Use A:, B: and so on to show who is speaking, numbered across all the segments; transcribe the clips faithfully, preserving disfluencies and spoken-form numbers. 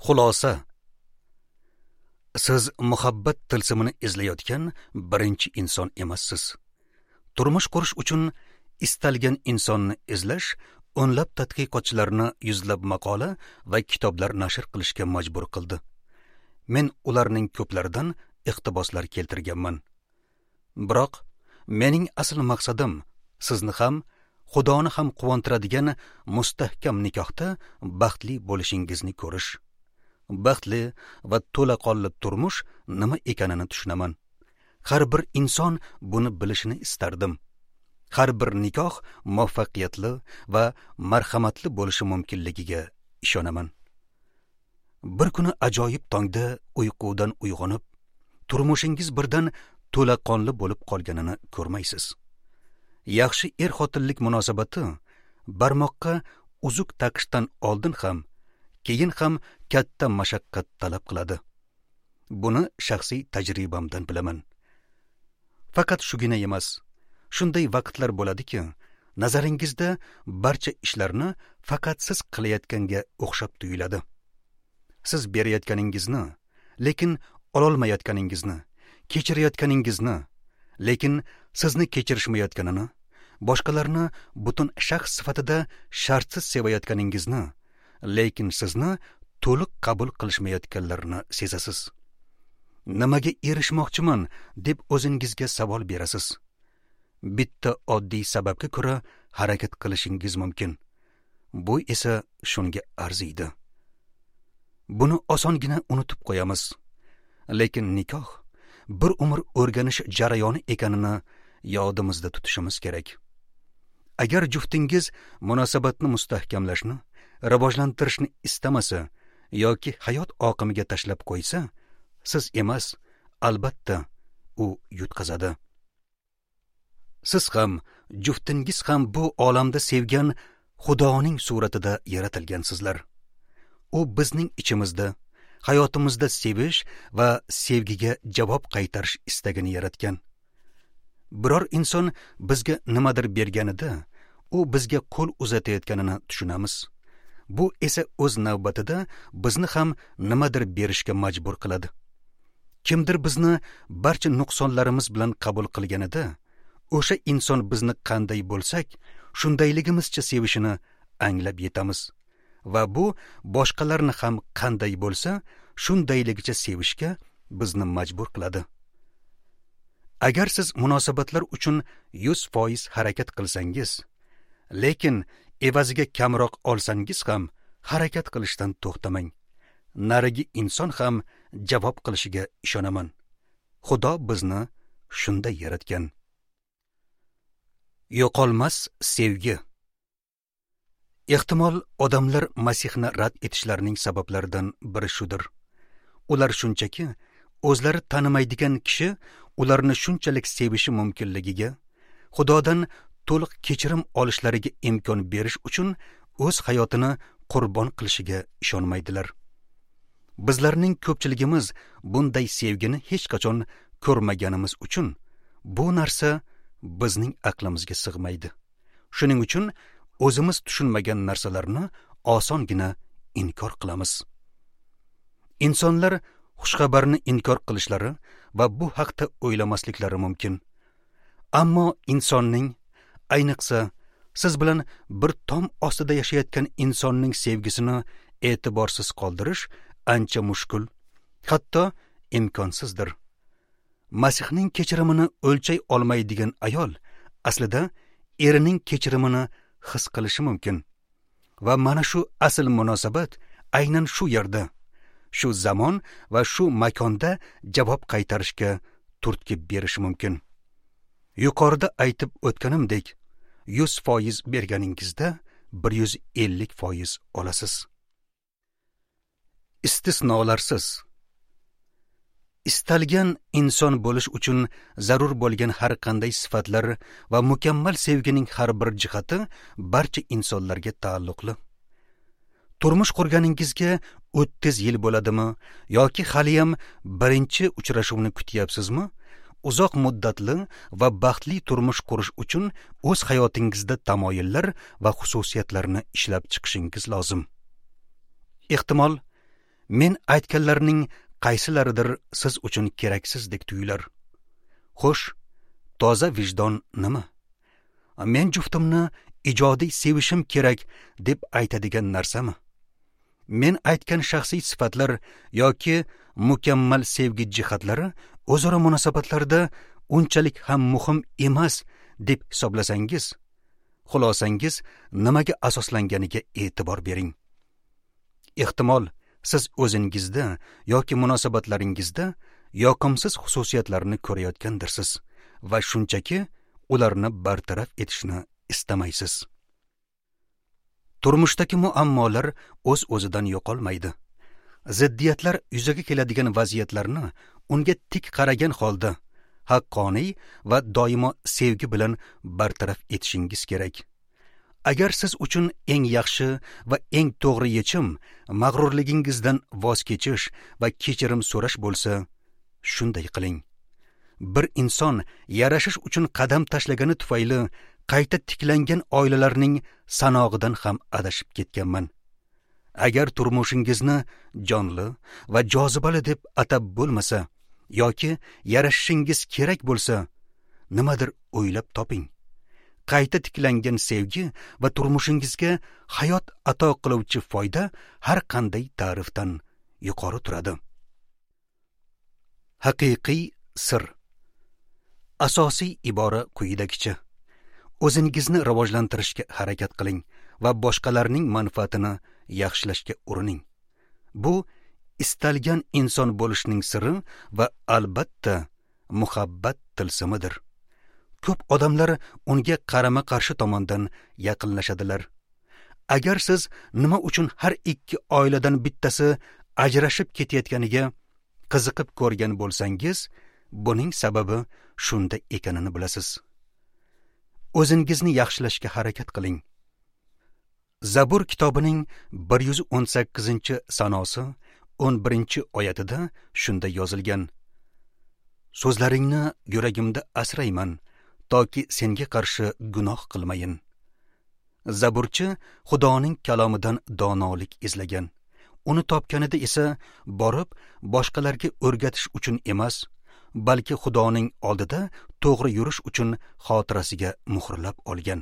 A: Xulosa. Siz muhabbat tilsimini izlayotgan birinchi inson emassiz. Turmush qurish uchun istalgan insonni izlash o'nlab tadqiqotchilarni yuzlab maqola va kitoblar nashr qilishga majbur qildi. Men ularning ko'plaridan iqtiboslar keltirganman. Biroq mening asl maqsadim sizni ham, Xudoni ham quvontiradigan mustahkam nikohda baxtli bo'lishingizni ko'rish. Baxtli va to'laqonli turmush nima ekanini tushunaman. Har bir inson buni bilishini istardim. Har bir nikoh muvaffaqiyatli va marhamatli bo'lishi mumkinligiga ishonaman. Bir kuni ajoyib tongda uyqudan uyg'onib, turmushingiz birdan to'laqonli bo'lib qolganini ko'rmaysiz. Yaxshi er-xotinlik munosabati barmoqqa uzuk taqishdan oldin ham, keyin ham katta mashaqqat talab qiladi. Buni shaxsiy tajribamdan bilaman. Faqat shugina emas, shunday vaqtlar bo'ladiki, nazaringizda barcha ishlarni faqat siz qilayotganga o'xshab tuyuladi. Siz berayotganingizni, lekin ololmayotganingizni, kechirayotganingizni, lekin sizni kechirishmayotganini, boshqalarni butun shaxs sifatida shartsiz sevayotganingizni, lekin sizni to'liq qabul qilishmayotganlarini sezasiz. Nimaga erishmoqchiman deb o'zingizga savol berasiz. Bitta oddiy sababga ko'ra harakat qilishingiz mumkin. Bu esa shunga arziydi. Buni osongina unutib qo'yamiz. Lekin nikoh bir umr o'rganish jarayoni ekanini yodimizda tutishimiz kerak. Agar juftingiz munosabatni mustahkamlashni, rivojlantirishni istamasa yoki hayot oqimiga tashlab qo'ysa, siz emas, albatta u yutqazadi. Siz ham, juftingiz ham bu olamda sevgan Xudoning suratida yaratilgansizlar. U bizning ichimizda, hayotimizda sevish va sevgiga javob qaytarish istagini yaratgan. Biror inson bizga nimadir berganida, u bizga qo'l uzatayotganini tushunamiz. Bu esa o'z navbatida bizni ham nimadir berishga majbur qiladi. Kimdir bizni barcha nuqsonlarimiz bilan qabul qilganida, o'sha inson bizni qanday bo'lsak, shundayligimizcha sevishini anglab yetamiz. Va bu boshqalarni ham qanday bo'lsa, shundayligicha sevishga bizni majbur qiladi. Agar siz munosabatlar uchun yuz foiz harakat qilsangiz, lekin evaziga kamroq olsangiz ham harakat qilishdan to'xtamang. Narigi inson ham javob qilishiga ishonaman. Xudo bizni shunday yaratgan. Yo'qolmas sevgi. Ehtimol odamlar Masihni rad etishlarining sabablaridan biri shudir. Ular shunchaki o'zlari tanimaydigan kishi ularni shunchalik sevishi mumkinligiga, Xudodan to'liq kechirim olishlariga imkon berish uchun o'z hayotini qurbon qilishiga ishonmaydilar. Bizlarning ko'pchiligimiz bunday sevgini hech qachon ko'rmaganimiz uchun bu narsa bizning aqlimizga sig'maydi. Shuning uchun o'zimiz tushunmagan narsalarni osongina inkor qilamiz. Insonlar xushxabarni inkor qilishlari va bu haqda o'ylamasliklari mumkin. Ammo insonning, ayniqsa siz bilan bir tom ostida yashayotgan insonning sevgisini e'tiborsiz qoldirish ancha mushkul, hatto imkonsizdir. Masihning kechirimini o'lchay olmaydigan ayol aslida erining kechirimini his qilishi mumkin. Va mana shu asl munosabat aynan shu yerda, shu zamon va shu makonda javob qaytarishga turtki berishi mumkin. Yuqorida aytib o'tganimdek, yuz foiz berganingizda bir yuz ellik foiz olasiz. Istisnolarsiz. Istalgan inson bo'lish uchun zarur bo'lgan har qanday sifatlar va mukammal sevgining har bir jihati barcha insonlarga taalluqli. Turmush qurganingizga o'ttiz yil bo'ladimi yoki haliyam birinchi uchrashuvni kutyapsizmi? Uzoq muddatli va baxtli turmush qurish uchun o'z hayotingizda tamoyillar va xususiyatlarni ishlab chiqishingiz lozim. Ehtimol, Men aytganlarning qaysilaridir siz uchun keraksizdek tuyular. Xo'sh, toza vijdon nima? Men juftimni ijodiy sevishim kerak deb aytadigan narsami? Men aytgan shaxsiy sifatlar yoki mukammal sevgi jihatlari o'zaro munosabatlarda unchalik ham muhim emas deb hisoblasangiz, xulosangiz nimaga asoslanganiga e'tibor bering. Ehtimol siz o'zingizda yoki munosabatlaringizda yoqimsiz xususiyatlarni ko'rayotgandirsiz va shunchaki ularni bartaraf etishni istamaysiz. Turmushdagi muammolar o'z-o'zidan yo'qolmaydi. Ziddiyatlar yuzaga keladigan vaziyatlarni unga tik qaragan holda haqqoniy va doimo sevgi bilan bartaraf etishingiz kerak. Agar siz uchun eng yaxshi va eng to'g'ri yechim mag'rurligingizdan voz kechish va kechirim so'rash bo'lsa, shunday qiling. Bir inson yarashish uchun qadam tashlagani tufayli qayta tiklangan oilalarning sanog'idan ham adashib ketganman. Agar turmushingizni jonli va jozibali deb atab bo'lmasa yoki yarashishingiz kerak bo'lsa, nimadir o'ylab toping. Qayta tiklangan sevgi va turmushingizga hayot ato qiluvchi foyda har qanday ta'rifdan yuqori turadi. Haqiqiy sir. Asosiy ibora quyidagicha: o'zingizni rivojlantirishga harakat qiling va boshqalarning manfaatini yaxshilashga urining. Bu istalgan inson bo'lishning siri va albatta muhabbat tilsimidir. Ko'p odamlar unga qarama-qarshi tomondan yaqinlashadilar. Agar siz nima uchun har ikki oiladan bittasi ajrashib ketayotganiga qiziqib ko'rgan bo'lsangiz, buning sababi shunda ekanini bilasiz. O'zingizni yaxshilashga harakat qiling. Zabur kitobining bir yuz o'n sakkizinchi sanosi o'n birinchi oyatida shunda yozilgan: So'zlaringni yuragimda asrayman, toki senga qarshi gunoh qilmayin. Zaburchi Xudoning kalomidan donolik izlagan. Uni topganida esa borib boshqalarga o'rgatish uchun emas, balki Xudoning oldida to'g'ri yurish uchun xotirasiga muhrlab olgan.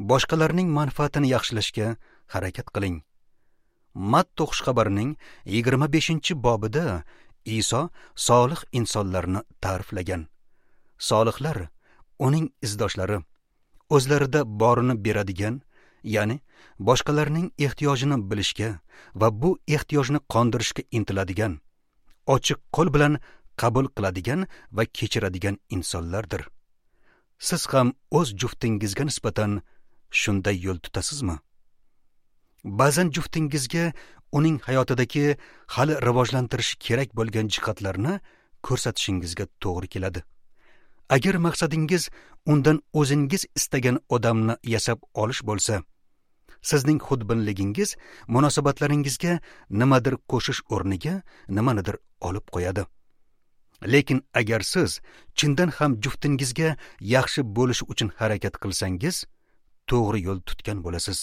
A: Boshqalarning manfaatini yaxshilashga harakat qiling. Matta xushxabarining yigirma beshinchi bobida Iso solih insonlarni ta'riflagan. Solihlar uning izdoshlari, o'zlarida borini beradigan, ya'ni boshqalarning ehtiyojini bilishga va bu ehtiyojni qondirishga intiladigan, ochiq qo'l bilan qabul qiladigan va kechiradigan insonlardir. Siz ham o'z juftingizga nisbatan shunday yo'l tutasizmi? Ba'zan juftingizga uning hayotidagi hali rivojlantirish kerak bo'lgan jihatlarni ko'rsatishingizga to'g'ri keladi. Agar maqsadingiz undan o'zingiz istagan odamni yasab olish bo'lsa, sizning xudbinligingiz munosabatlaringizga nimadir qo'shish o'rniga nimanidir olib qo'yadi. Lekin agar siz chindan ham juftingizga yaxshi bo'lish uchun harakat qilsangiz, to'g'ri yo'l tutgan bo'lasiz.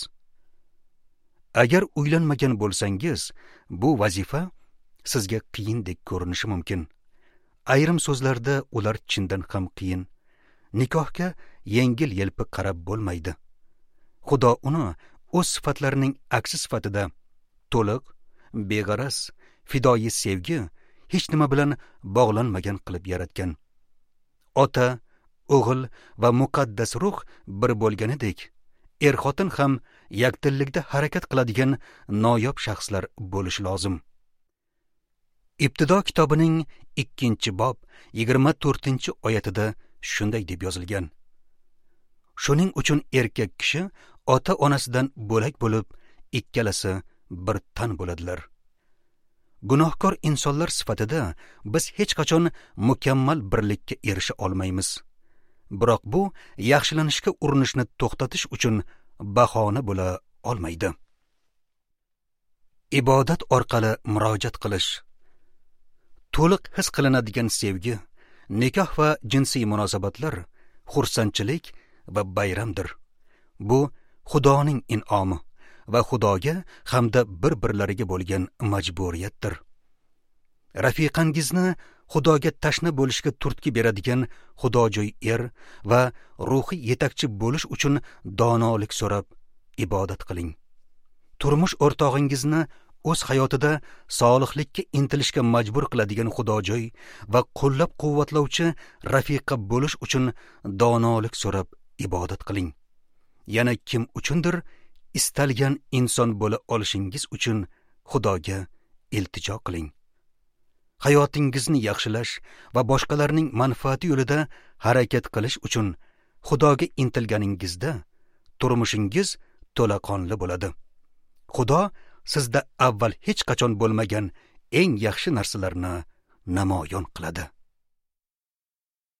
A: Agar uylanmagan bo'lsangiz, bu vazifa sizga qiyindek ko'rinishi mumkin. Ayrim so'zlarda ular chindan ham qiyin. Nikohga yengil-yelpi qarab bo'lmaydi. Xudo uni o'z sifatlarining aksi sifatida to'liq, beg'araz, fidoyi sevgi, hech nima bilan bog'lanmagan qilib yaratgan. Ota, o'g'il va muqaddas ruh bir bo'lganidek, er-xotin ham yakdillikda harakat qiladigan noyob shaxslar bo'lishi lozim. Ibtido kitobining ikkinchi bob yigirma to'rtinchi oyatida shunday deb yozilgan: Shuning uchun erkak kishi ota-onasidan bo'lak bo'lib, ikkalasi bir tan bo'ladilar. Gunohkor insonlar sifatida biz hech qachon mukammal birlikka erisha olmaymiz. Biroq bu yaxshilanishga urinishni to'xtatish uchun bahona bo'la olmaydi. Ibodat orqali murojaat qilish. To'liq his qilinadigan sevgi, nikoh va jinsiy munosabatlar xursandchilik va bayramdir. Bu Xudoning in'omi va Xudoga hamda bir-birlariga bo'lgan majburiyatdir. Rafiqangizni Xudoga tashna bo'lishga turtki beradigan xudojo'y er va ruhiy yetakchi bo'lish uchun donolik so'rab ibodat qiling. Turmush o'rtog'ingizni o'z hayotida solihlikka intilishga majbur qiladigan xudojo'y va qo'llab-quvvatlovchi rafiqa bo'lish uchun donolik so'rab ibodat qiling. Yana kim uchundir istalgan inson bo'la olishingiz uchun Xudoga iltijo qiling. Hayotingizni yaxshilash va boshqalarning manfaati yo'lida harakat qilish uchun Xudoga intilganingizda turmushingiz to'laqonli bo'ladi. Xudo sizda avval hech qachon bo'lmagan eng yaxshi narsalarni namoyon qiladi.